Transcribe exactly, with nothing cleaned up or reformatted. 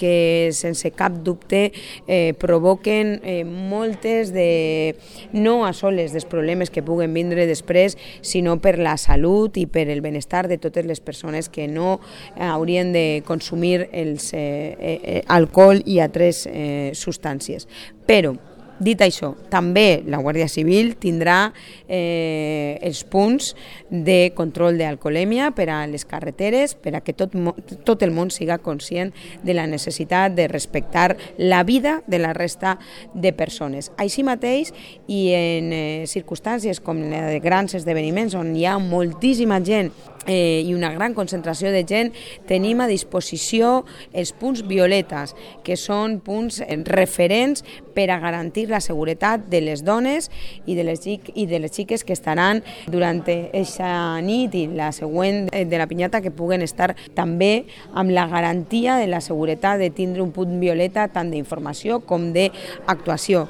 que sense cap dubte eh, provoquen eh, moltes de, no a soles dels problemes que puguen vindre després, sinó per la salut i per el benestar de totes les persones que no haurien de consumir els, eh, eh, alcohol i altres eh, substàncies. Però, dit això, també la Guàrdia Civil tindrà eh, els punts de control d'alcoholèmia per a les carreteres, per a que tot, tot el món siga conscient de la necessitat de respectar la vida de la resta de persones. Així mateix, i en eh, circumstàncies com la de grans esdeveniments on hi ha moltíssima gent eh, i una gran concentració de gent, tenim a disposició els punts violetes, que són punts referents per a garantir la seguretat de les dones i de les, i de les xiques que estaran durant aquesta nit i la següent de la pinyata, que puguen estar també amb la garantia de la seguretat de tindre un punt violeta tant d'informació com d'actuació.